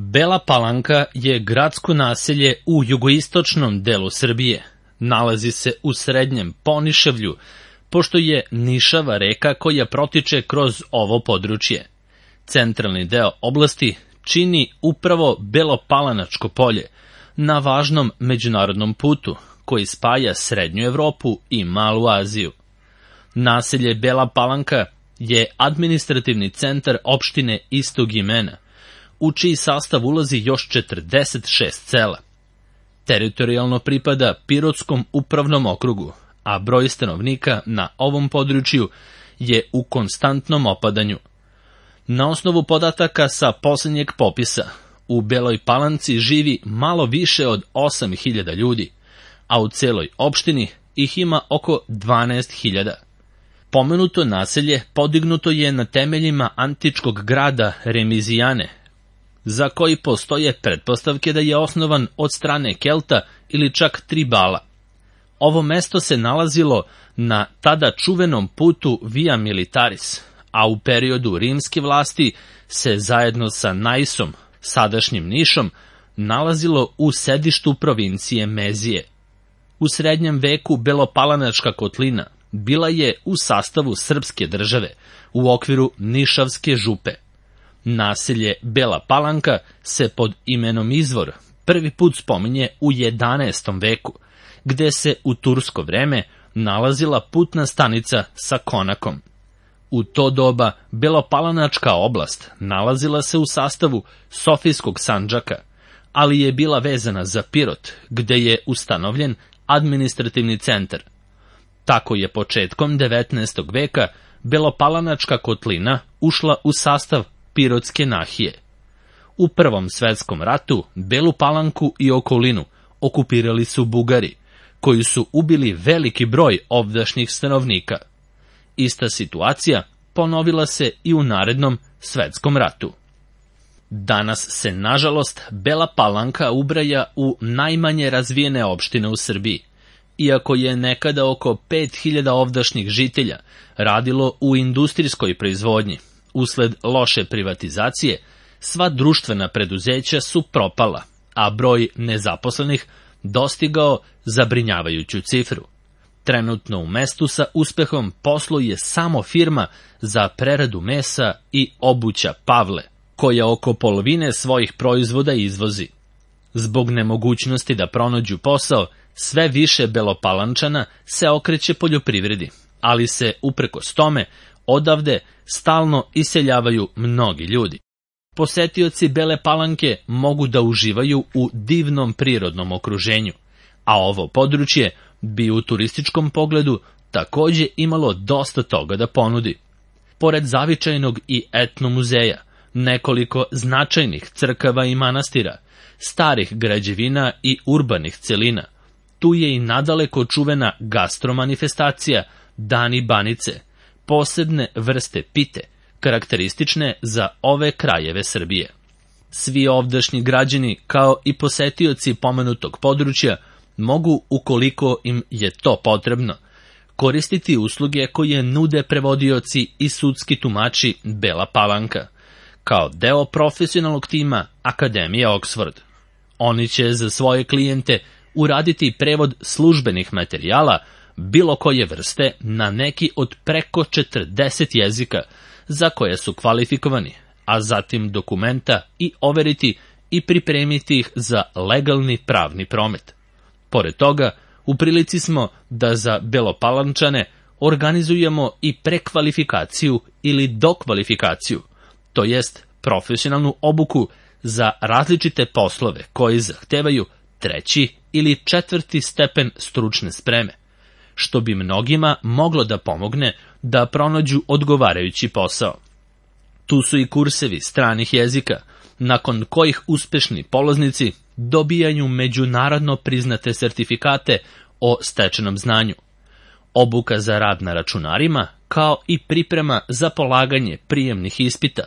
Bela Palanka je gradsko naselje u jugoistočnom delu Srbije. Nalazi se u srednjem Ponišavlju, pošto je Nišava reka koja protiče kroz ovo područje. Centralni deo oblasti čini upravo Belopalanačko polje, na važnom međunarodnom putu koji spaja Srednju Evropu i Malu Aziju. Naselje Bela Palanka je administrativni centar opštine istog imena, u čiji sastav ulazi još 46 sela. Teritorijalno pripada Pirotskom upravnom okrugu, a broj stanovnika na ovom području je u konstantnom opadanju. Na osnovu podataka sa posljednjeg popisa, u Beloj Palanci živi malo više od 8.000 ljudi, a u celoj opštini ih ima oko 12.000. Pomenuto naselje podignuto je na temeljima antičkog grada Remizijane, za koji postoje pretpostavke da je osnovan od strane Kelta ili čak Tribala. Ovo mesto se nalazilo na tada čuvenom putu Via Militaris, a u periodu rimske vlasti se zajedno sa Naisom, sadašnjim Nišom, nalazilo u sedištu provincije Mezije. U srednjem veku Belopalanačka kotlina bila je u sastavu srpske države, u okviru Nišavske župe. Naselje Bela Palanka se pod imenom Izvor prvi put spominje u 11. veku, gde se u tursko vreme nalazila putna stanica sa konakom. U to doba Belopalanačka oblast nalazila se u sastavu Sofijskog sandžaka, ali je bila vezana za Pirot, gde je ustanovljen administrativni centar. Tako je početkom 19. veka Belopalanačka kotlina ušla u sastav Pirotske nahije. U Prvom svetskom ratu Belu Palanku i okolinu okupirali su Bugari, koji su ubili veliki broj ovdašnjih stanovnika. Ista situacija ponovila se i u narednom svetskom ratu. Danas se, nažalost, Bela Palanka ubraja u najmanje razvijene opštine u Srbiji. Iako je nekada oko 5.000 ovdašnjih žitelja radilo u industrijskoj proizvodnji, usled loše privatizacije, sva društvena preduzeća su propala, a broj nezaposlenih dostigao zabrinjavajuću cifru. Trenutno u mestu sa uspehom posluje samo firma za preradu mesa i obuća Pavle, koja oko polovine svojih proizvoda izvozi. Zbog nemogućnosti da pronađu posao, sve više Belopalančana se okreće poljoprivredi, ali se uprkos tome odavde stalno iseljavaju mnogi ljudi. Posetioci Bele Palanke mogu da uživaju u divnom prirodnom okruženju, a ovo područje bi u turističkom pogledu takođe imalo dosta toga da ponudi. Pored zavičajnog i etno muzeja, nekoliko značajnih crkava i manastira, starih građevina i urbanih celina, tu je i nadaleko čuvena gastromanifestacija Dani Banice, posebne vrste pite, karakteristične za ove krajeve Srbije. Svi ovdašnji građani, kao i posetioci pomenutog područja, mogu, ukoliko im je to potrebno, koristiti usluge koje nude prevodioci i sudski tumači Bela Palanka, kao deo profesionalnog tima Akademije Oxford. Oni će za svoje klijente uraditi prevod službenih materijala bilo koje vrste na neki od preko 40 jezika za koje su kvalifikovani, a zatim dokumenta i overiti i pripremiti ih za legalni pravni promet. Pored toga, u prilici smo da za Belopalančane organizujemo i prekvalifikaciju ili dokvalifikaciju, to jest profesionalnu obuku za različite poslove koji zahtevaju 3. ili 4. stepen stručne spreme, što bi mnogima moglo da pomogne da pronađu odgovarajući posao. Tu su i kursevi stranih jezika, nakon kojih uspešni polaznici dobijaju međunarodno priznate sertifikate o stečenom znanju, obuka za rad na računarima, kao i priprema za polaganje prijemnih ispita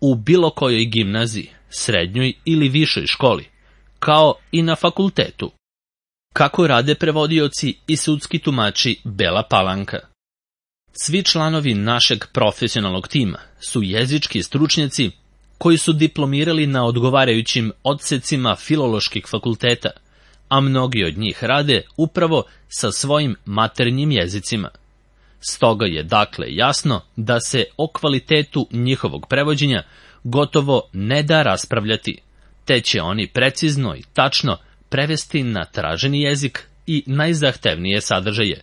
u bilo kojoj gimnaziji, srednjoj ili višoj školi, kao i na fakultetu. Kako rade prevodioci i sudski tumači Bela Palanka? Svi članovi našeg profesionalnog tima su jezički stručnjaci koji su diplomirali na odgovarajućim odsecima filoloških fakulteta, a mnogi od njih rade upravo sa svojim maternjim jezicima. Stoga je dakle jasno da se o kvalitetu njihovog prevođenja gotovo ne da raspravljati, te će oni precizno i tačno prevesti na traženi jezik i najzahtevnije sadržaje.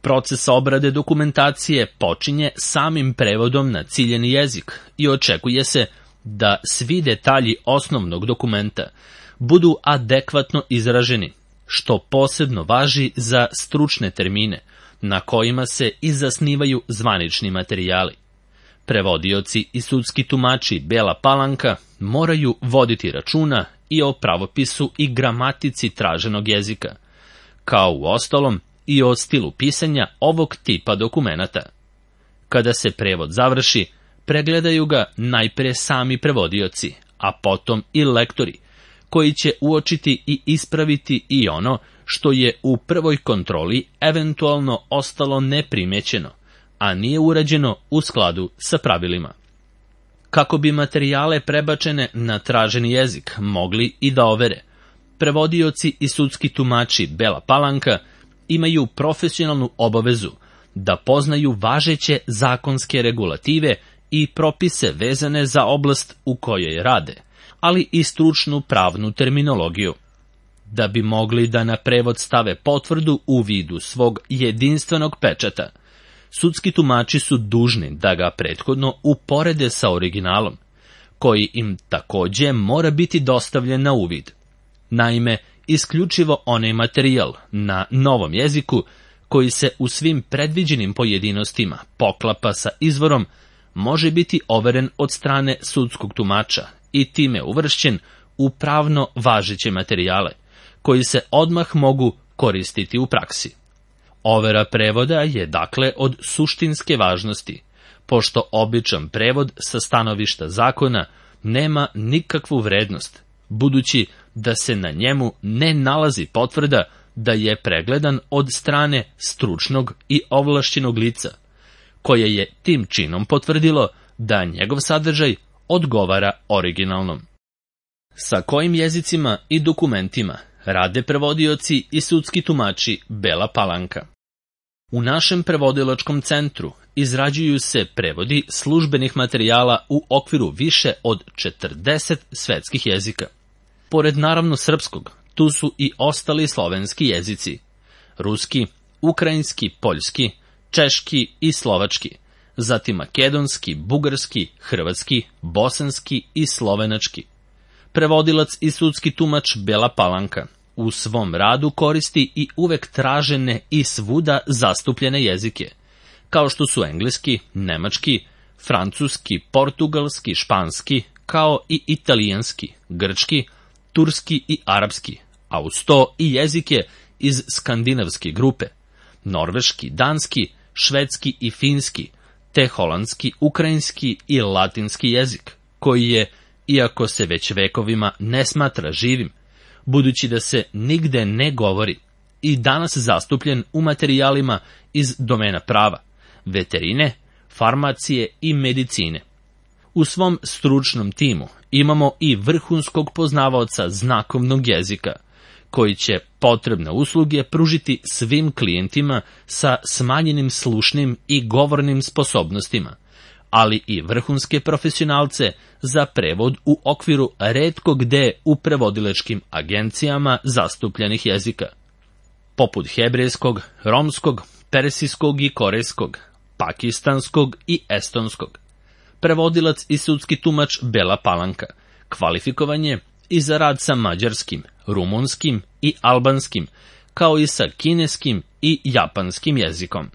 Proces obrade dokumentacije počinje samim prevodom na ciljeni jezik i očekuje se da svi detalji osnovnog dokumenta budu adekvatno izraženi, što posebno važi za stručne termine, na kojima se i zasnivaju zvanični materijali. Prevodioci i sudski tumači Bela Palanka moraju voditi računa i o pravopisu i gramatici traženog jezika, kao uostalom i o stilu pisanja ovog tipa dokumenata. Kada se prevod završi, pregledaju ga najpre sami prevodioci, a potom i lektori, koji će uočiti i ispraviti i ono što je u prvoj kontroli eventualno ostalo neprimećeno, a nije urađeno u skladu sa pravilima. Kako bi materijale prebačene na traženi jezik mogli i da overe, prevodioci i sudski tumači Bela Palanka imaju profesionalnu obavezu da poznaju važeće zakonske regulative i propise vezane za oblast u kojoj rade, ali i stručnu pravnu terminologiju. Da bi mogli da na prevod stave potvrdu u vidu svog jedinstvenog pečata, sudski tumači su dužni da ga prethodno uporede sa originalom, koji im takođe mora biti dostavljen na uvid. Naime, isključivo onaj materijal na novom jeziku koji se u svim predviđenim pojedinostima poklapa sa izvorom može biti overen od strane sudskog tumača i time uvršćen u pravno važeće materijale, koji se odmah mogu koristiti u praksi. Overa prevoda je dakle od suštinske važnosti, pošto običan prevod sa stanovišta zakona nema nikakvu vrednost, budući da se na njemu ne nalazi potvrda da je pregledan od strane stručnog i ovlašćenog lica, koje je tim činom potvrdilo da njegov sadržaj odgovara originalnom. Sa kojim jezicima i dokumentima rade prevodioci i sudski tumači Bela Palanka? U našem prevodilačkom centru izrađuju se prevodi službenih materijala u okviru više od 40 svetskih jezika. Pored naravno srpskog, tu su i ostali slovenski jezici: ruski, ukrajinski, poljski, češki i slovački, zatim makedonski, bugarski, hrvatski, bosanski i slovenački. Prevodilac i sudski tumač Bela Palanka u svom radu koristi i uvek tražene i svuda zastupljene jezike, kao što su engleski, nemački, francuski, portugalski, španski, kao i italijanski, grčki, turski i arapski, a uz to i jezike iz skandinavske grupe, norveški, danski, švedski i finski, te holandski, ukrajinski i latinski jezik, koji je, iako se već vekovima ne smatra živim, budući da se nigde ne govori, i danas zastupljen u materijalima iz domena prava, veterine, farmacije i medicine. U svom stručnom timu imamo i vrhunskog poznavaoca znakovnog jezika, koji će potrebne usluge pružiti svim klijentima sa smanjenim slušnim i govornim sposobnostima, ali i vrhunske profesionalce za prevod u okviru retko gde u prevodilačkim agencijama zastupljenih jezika, poput hebrejskog, romskog, persijskog i korejskog, pakistanskog i estonskog. Prevodilac i sudski tumač Bela Palanka kvalifikovan je i za rad sa mađarskim, rumunskim i albanskim, kao i sa kineskim i japanskim jezikom.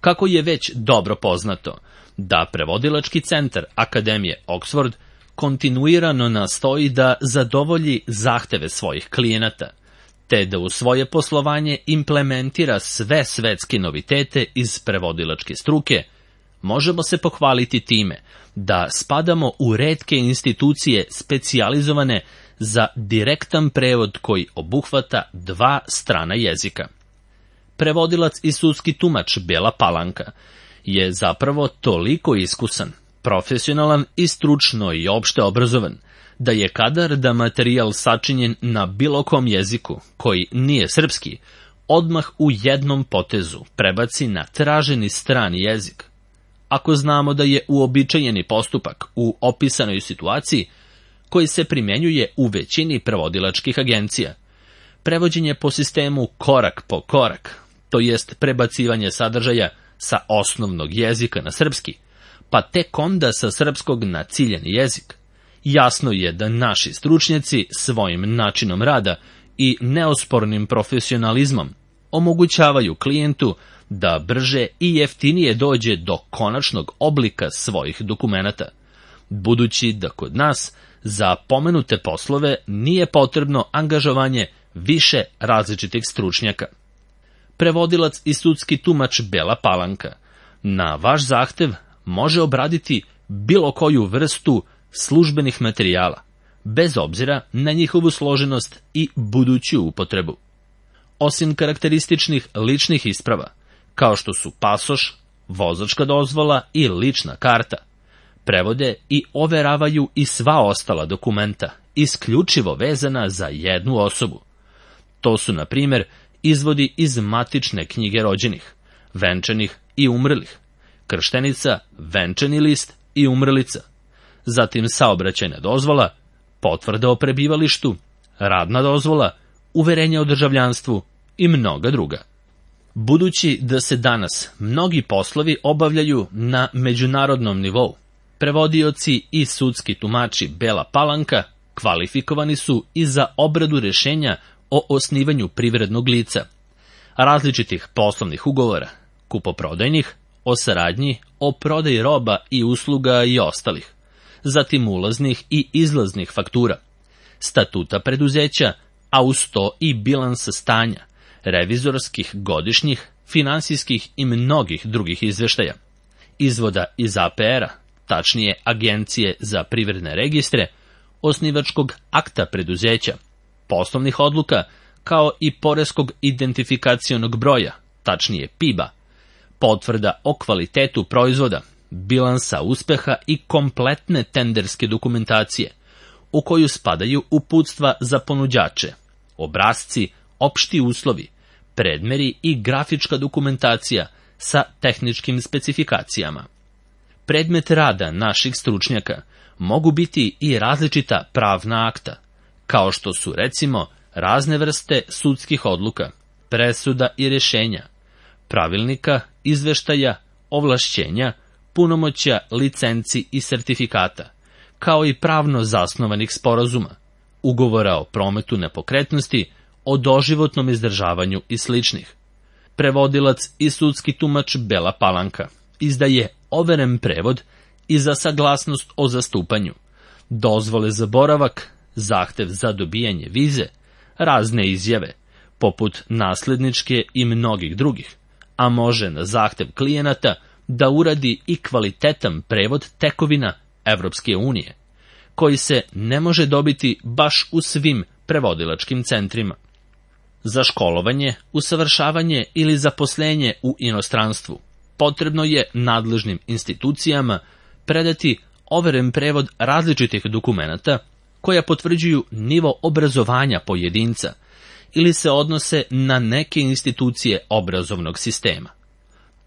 Kako je već dobro poznato da prevodilački centar Akademije Oxford kontinuirano nastoji da zadovolji zahteve svojih klijenata, te da u svoje poslovanje implementira sve svetske novitete iz prevodilačke struke, možemo se pohvaliti time da spadamo u retke institucije specijalizovane za direktan prevod koji obuhvata 2 strana jezika. Prevodilac i sudski tumač Bela Palanka je zapravo toliko iskusan profesionalan i stručno i opšte obrazovan, da je kadar da materijal sačinjen na bilo kom jeziku, koji nije srpski, odmah u jednom potezu prebaci na traženi strani jezik. Ako znamo da je uobičajeni postupak u opisanoj situaciji, koji se primjenjuje u većini prevodilačkih agencija, prevođenje po sistemu korak po korak, to jest prebacivanje sadržaja sa osnovnog jezika na srpski, pa tek onda sa srpskog na ciljani jezik, jasno je da naši stručnjaci svojim načinom rada i neospornim profesionalizmom omogućavaju klijentu da brže i jeftinije dođe do konačnog oblika svojih dokumenata, budući da kod nas za pomenute poslove nije potrebno angažovanje više različitih stručnjaka. Prevodilac i sudski tumač Bela Palanka na vaš zahtev može obraditi bilo koju vrstu službenih materijala, bez obzira na njihovu složenost i buduću upotrebu. Osim karakterističnih ličnih isprava, kao što su pasoš, vozačka dozvola i lična karta, prevode i overavaju i sva ostala dokumenta, isključivo vezana za jednu osobu. To su, na primjer, izvodi iz matične knjige rođenih, venčanih i umrlih, krštenica, venčani list i umrlica, zatim saobraćajna dozvola, potvrda o prebivalištu, radna dozvola, uverenje o državljanstvu i mnoga druga. Budući da se danas mnogi poslovi obavljaju na međunarodnom nivou, prevodioci i sudski tumači Bela Palanka kvalifikovani su i za obradu rešenja o osnivanju privrednog lica, različitih poslovnih ugovora, kupoprodajnih, o saradnji, o prodaji roba i usluga i ostalih, zatim ulaznih i izlaznih faktura, statuta preduzeća, a uz to i bilansa stanja, revizorskih, godišnjih, finansijskih i mnogih drugih izveštaja, izvoda iz APR-a, tačnije Agencije za privredne registre, osnivačkog akta preduzeća, poslovnih odluka, kao i poreskog identifikacionog broja, tačnije PIB-a, potvrda o kvalitetu proizvoda, bilansa uspeha i kompletne tenderske dokumentacije, u koju spadaju uputstva za ponuđače, obrasci, opšti uslovi, predmeri i grafička dokumentacija sa tehničkim specifikacijama. Predmet rada naših stručnjaka mogu biti i različita pravna akta, kao što su recimo razne vrste sudskih odluka, presuda i rešenja, pravilnika, izveštaja, ovlašćenja, punomoćja, licenci i sertifikata, kao i pravno zasnovanih sporazuma, ugovora o prometu nepokretnosti, o doživotnom izdržavanju i sličnih. Prevodilac i sudski tumač Bela Palanka izdaje overen prevod i za saglasnost o zastupanju, dozvole za boravak, zahtev za dobijanje vize, razne izjave, poput nasledničke i mnogih drugih, a može na zahtev klijenata da uradi i kvalitetan prevod tekovina Evropske unije, koji se ne može dobiti baš u svim prevodilačkim centrima. Za školovanje, usavršavanje ili zaposlenje u inostranstvu potrebno je nadležnim institucijama predati overen prevod različitih dokumenata koja potvrđuju nivo obrazovanja pojedinca ili se odnose na neke institucije obrazovnog sistema.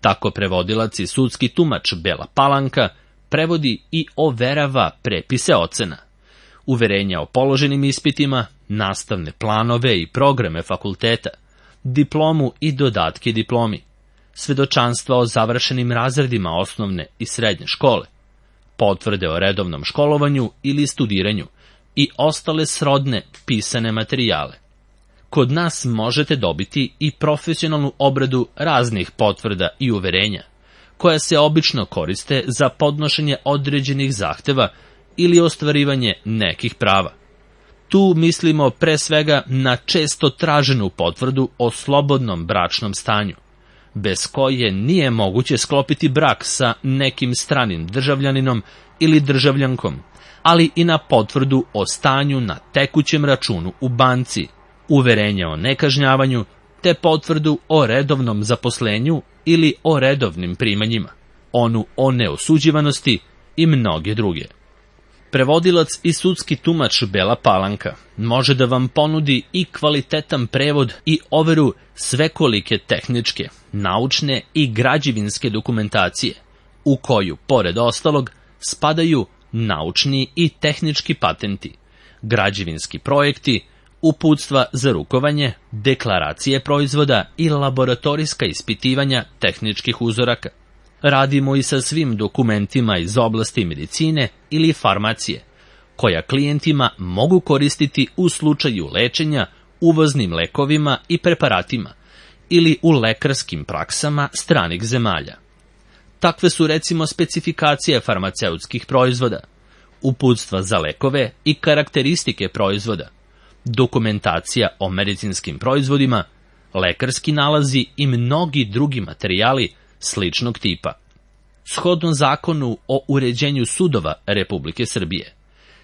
Tako prevodilac i sudski tumač Bela Palanka prevodi i overava prepise ocena, uverenja o položenim ispitima, nastavne planove i programe fakulteta, diplomu i dodatke diplomi, svedočanstva o završenim razredima osnovne i srednje škole, potvrde o redovnom školovanju ili studiranju i ostale srodne pisane materijale. Kod nas možete dobiti i profesionalnu obradu raznih potvrda i uverenja, koja se obično koriste za podnošenje određenih zahteva ili ostvarivanje nekih prava. Tu mislimo pre svega na često traženu potvrdu o slobodnom bračnom stanju, bez koje nije moguće sklopiti brak sa nekim stranim državljaninom ili državljankom, ali i na potvrdu o stanju na tekućem računu u banci, uverenje o nekažnjavanju, te potvrdu o redovnom zaposlenju ili o redovnim primanjima, onu o neosuđivanosti i mnoge druge. Prevodilac i sudski tumač Bela Palanka može da vam ponudi i kvalitetan prevod i overu svekolike tehničke, naučne i građevinske dokumentacije, u koju, pored ostalog, spadaju naučni i tehnički patenti, građevinski projekti, uputstva za rukovanje, deklaracije proizvoda i laboratorijska ispitivanja tehničkih uzoraka. Radimo i sa svim dokumentima iz oblasti medicine ili farmacije, koja klijentima mogu koristiti u slučaju lečenja uvoznim lekovima i preparatima ili u lekarskim praksama stranih zemalja. Takve su recimo specifikacije farmaceutskih proizvoda, uputstva za lekove i karakteristike proizvoda, dokumentacija o medicinskim proizvodima, lekarski nalazi i mnogi drugi materijali sličnog tipa. Shodno zakonu o uređenju sudova Republike Srbije,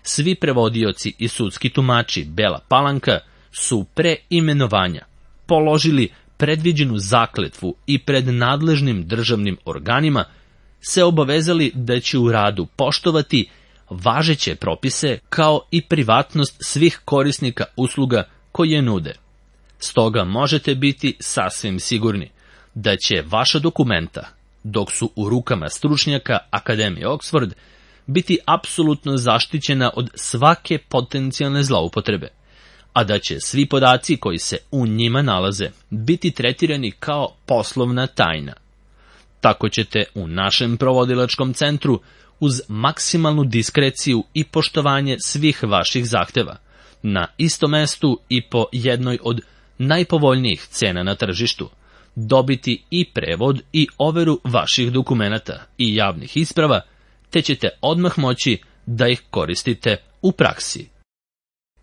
svi prevodioci i sudski tumači Bela Palanka su pre imenovanja položili predviđenu zakletvu i pred nadležnim državnim organima se obavezali da će u radu poštovati važeće propise kao i privatnost svih korisnika usluga koje nude. Stoga možete biti sasvim sigurni da će vaša dokumenta, dok su u rukama stručnjaka Akademije Oxford, biti apsolutno zaštićena od svake potencijalne zloupotrebe, a da će svi podaci koji se u njima nalaze biti tretirani kao poslovna tajna. Tako ćete u našem provodilačkom centru uz maksimalnu diskreciju i poštovanje svih vaših zahteva, na istom mestu i po jednoj od najpovoljnijih cena na tržištu, dobiti i prevod i overu vaših dokumenata i javnih isprava, te ćete odmah moći da ih koristite u praksi.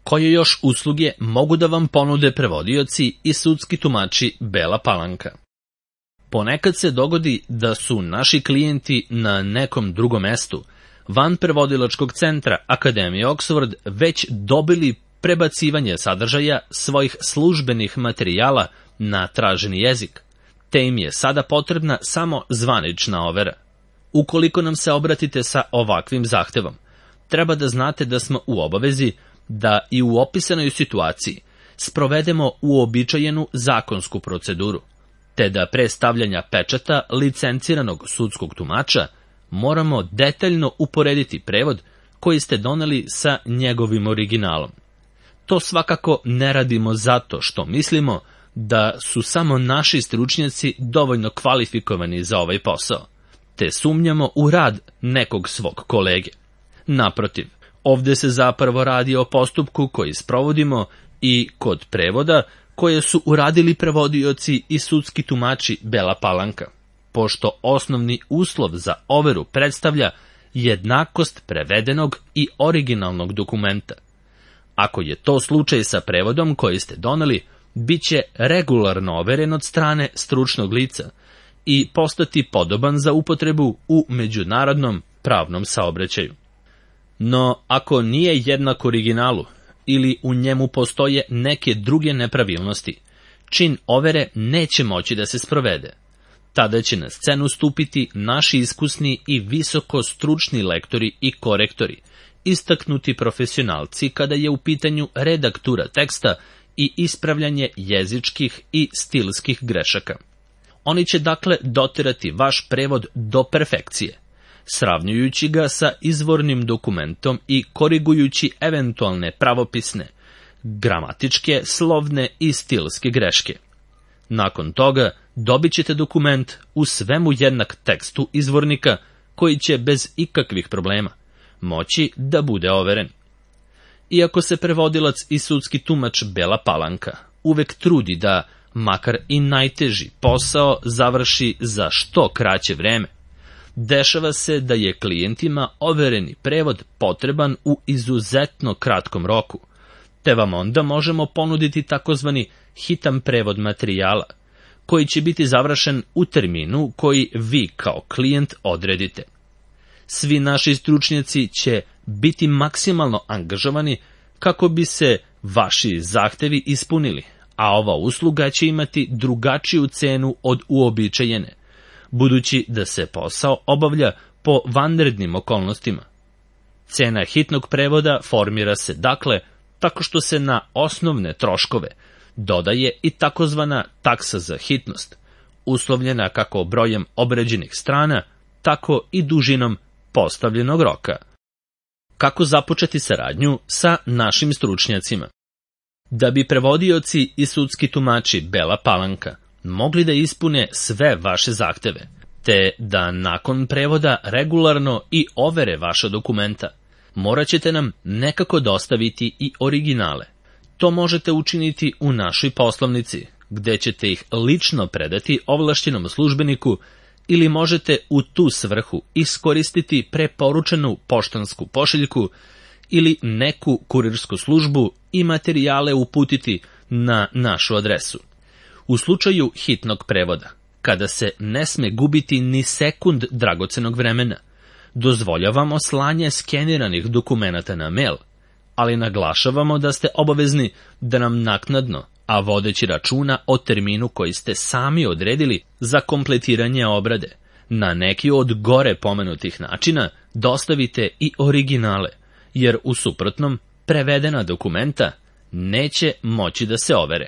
Koje još usluge mogu da vam ponude prevodioci i sudski tumači Bela Palanka? Ponekad se dogodi da su naši klijenti na nekom drugom mestu, van prevodilačkog centra Akademije Oxford, već dobili prebacivanje sadržaja svojih službenih materijala na traženi jezik, te im je sada potrebna samo zvanična overa. Ukoliko nam se obratite sa ovakvim zahtevom, treba da znate da smo u obavezi da i u opisanoj situaciji sprovedemo uobičajenu zakonsku proceduru, te da pre stavljanja pečata licenciranog sudskog tumača moramo detaljno uporediti prevod koji ste doneli sa njegovim originalom. To svakako ne radimo zato što mislimo da su samo naši stručnjaci dovoljno kvalifikovani za ovaj posao, te sumnjamo u rad nekog svog kolege. Naprotiv, ovde se zapravo radi o postupku koji sprovodimo i kod prevoda koje su uradili prevodioci i sudski tumači Bela Palanka, pošto osnovni uslov za overu predstavlja jednakost prevedenog i originalnog dokumenta. Ako je to slučaj sa prevodom koji ste doneli, bit će regularno overen od strane stručnog lica i postati podoban za upotrebu u međunarodnom pravnom saobraćaju. No, ako nije jednak originalu ili u njemu postoje neke druge nepravilnosti, čin overe neće moći da se sprovede. Tada će na scenu stupiti naši iskusni i visoko stručni lektori i korektori, istaknuti profesionalci kada je u pitanju redaktura teksta i ispravljanje jezičkih i stilskih grešaka. Oni će dakle doterati vaš prevod do perfekcije, sravnjujući ga sa izvornim dokumentom i korigujući eventualne pravopisne, gramatičke, slovne i stilske greške. Nakon toga dobit ćete dokument u svemu jednak tekstu izvornika koji će bez ikakvih problema moći da bude overen. Iako se prevodilac i sudski tumač Bela Palanka uvek trudi da, makar i najteži posao, završi za što kraće vreme, dešava se da je klijentima overeni prevod potreban u izuzetno kratkom roku, te vam onda možemo ponuditi takozvani hitan prevod materijala, koji će biti završen u terminu koji vi kao klijent odredite. Svi naši stručnjaci će biti maksimalno angažovani kako bi se vaši zahtevi ispunili, a ova usluga će imati drugačiju cenu od uobičajene, budući da se posao obavlja po vanrednim okolnostima. Cena hitnog prevoda formira se, dakle, tako što se na osnovne troškove dodaje i takozvana taksa za hitnost, uslovljena kako brojem obrađenih strana, tako i dužinom postavljenog roka. Kako započeti saradnju sa našim stručnjacima? Da bi prevodioci i sudski tumači Bela Palanka mogli da ispune sve vaše zahteve, te da nakon prevoda regularno i overe vaša dokumenta, morat ćete nam nekako dostaviti i originale. To možete učiniti u našoj poslovnici, gde ćete ih lično predati ovlašćenom službeniku ili možete u tu svrhu iskoristiti preporučenu poštansku pošiljku ili neku kurirsku službu i materijale uputiti na našu adresu. U slučaju hitnog prevoda, kada se ne sme gubiti ni sekund dragocenog vremena, dozvoljavamo slanje skeniranih dokumenata na mail, ali naglašavamo da ste obavezni da nam naknadno, a vodeći računa o terminu koji ste sami odredili za kompletiranje obrade, na neki od gore pomenutih načina dostavite i originale, jer u suprotnom prevedena dokumenta neće moći da se overe.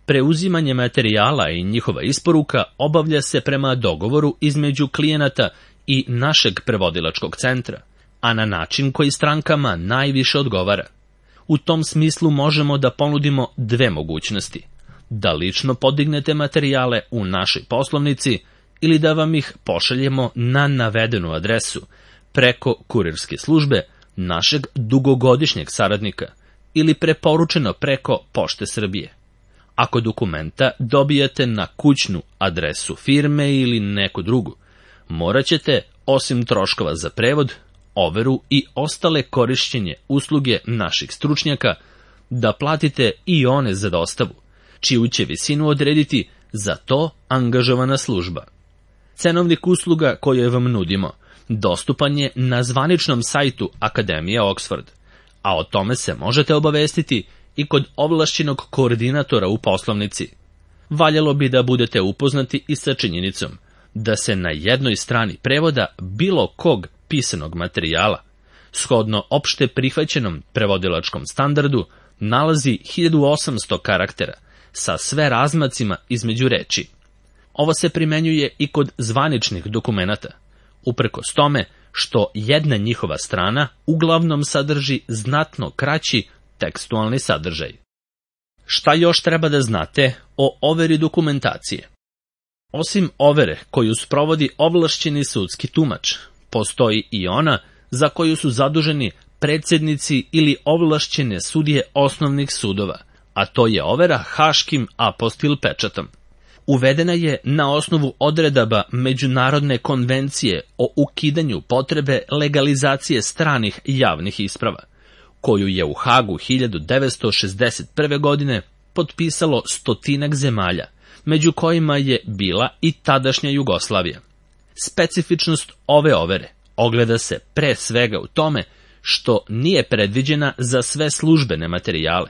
Preuzimanje materijala i njihova isporuka obavlja se prema dogovoru između klijenata i našeg prevodilačkog centra, a na način koji strankama najviše odgovara. U tom smislu možemo da ponudimo dve mogućnosti: da lično podignete materijale u našoj poslovnici ili da vam ih pošaljemo na navedenu adresu preko kurirske službe našeg dugogodišnjeg saradnika ili preporučeno preko Pošte Srbije. Ako dokumenta dobijate na kućnu adresu firme ili neku drugu, morat ćete, osim troškova za prevod, overu i ostale korišćenje usluge naših stručnjaka, da platite i one za dostavu, čiju će visinu odrediti za to angažovana služba. Cenovnik usluga koje vam nudimo dostupan je na zvaničnom sajtu Akademije Oxford, a o tome se možete obavestiti i kod ovlašćenog koordinatora u poslovnici. Valjalo bi da budete upoznati i sa činjenicom da se na jednoj strani prevoda bilo kog pisanog materijala, shodno opšte prihvaćenom prevodilačkom standardu, nalazi 1800 karaktera sa sve razmacima između reči. Ovo se primenjuje i kod zvaničnih dokumenata, uprkos tome što jedna njihova strana uglavnom sadrži znatno kraći tekstualni sadržaj. Šta još treba da znate o overi dokumentacije? Osim overe koju sprovodi ovlašćeni sudski tumač, postoji i ona za koju su zaduženi predsednici ili ovlašćene sudije osnovnih sudova, a to je overa haškim apostil pečatom. Uvedena je na osnovu odredaba Međunarodne konvencije o ukidanju potrebe legalizacije stranih javnih isprava, koju je u Hagu 1961. godine potpisalo 100 zemalja, među kojima je bila i tadašnja Jugoslavija. Specifičnost ove overe ogleda se pre svega u tome što nije predviđena za sve službene materijale.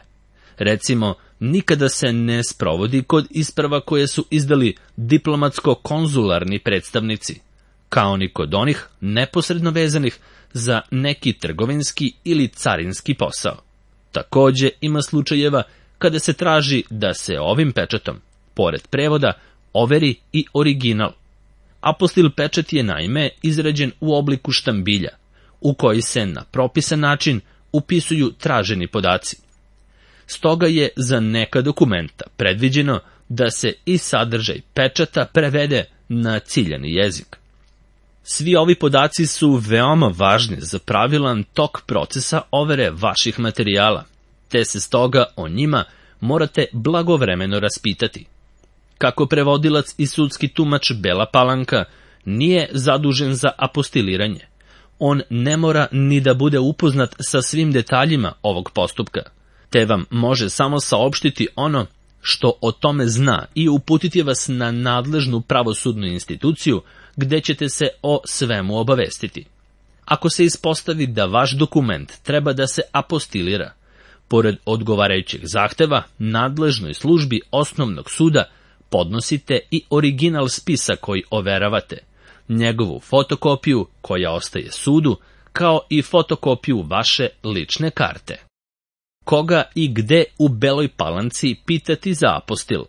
Recimo, nikada se ne sprovodi kod isprava koje su izdali diplomatsko-konzularni predstavnici, kao ni kod onih neposredno vezanih za neki trgovinski ili carinski posao. Takođe ima slučajeva kada se traži da se ovim pečatom, pored prevoda, overi i original. Apostil pečat je naime izrađen u obliku štambilja, u koji se na propisan način upisuju traženi podaci. Stoga je za neka dokumenta predviđeno da se i sadržaj pečata prevede na ciljani jezik. Svi ovi podaci su veoma važni za pravilan tok procesa overe vaših materijala, te se stoga o njima morate blagovremeno raspitati. Kako prevodilac i sudski tumač Bela Palanka nije zadužen za apostiliranje, on ne mora ni da bude upoznat sa svim detaljima ovog postupka, te vam može samo saopštiti ono što o tome zna i uputiti vas na nadležnu pravosudnu instituciju gde ćete se o svemu obavestiti. Ako se ispostavi da vaš dokument treba da se apostilira, pored odgovarajućeg zahteva nadležnoj službi osnovnog suda podnosite i original spisa koji overavate, njegovu fotokopiju koja ostaje sudu, kao i fotokopiju vaše lične karte. Koga i gde u Beloj Palanci pitati za apostil?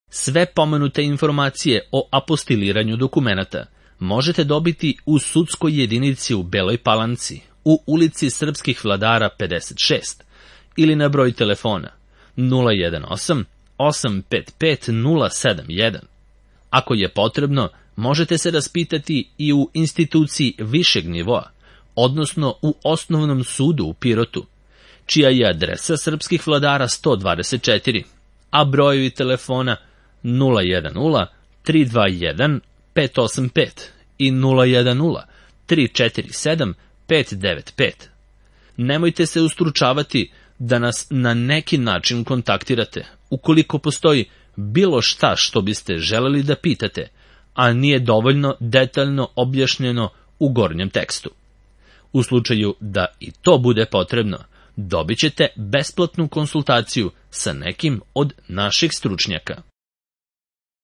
Sve pomenute informacije o apostiliranju dokumenata možete dobiti u sudskoj jedinici u Beloj Palanci, u ulici Srpskih vladara 56, ili na broj telefona 018 855 071. Ako je potrebno, možete se raspitati i u instituciji višeg nivoa, odnosno u Osnovnom sudu u Pirotu, čija je adresa Srpskih vladara 124, a brojevi telefona 010 321 585 i 010 347 595. Nemojte se ustručavati da nas na neki način kontaktirate, ukoliko postoji bilo šta što biste želeli da pitate, a nije dovoljno detaljno objašnjeno u gornjem tekstu. U slučaju da i to bude potrebno, dobit ćete besplatnu konsultaciju sa nekim od naših stručnjaka.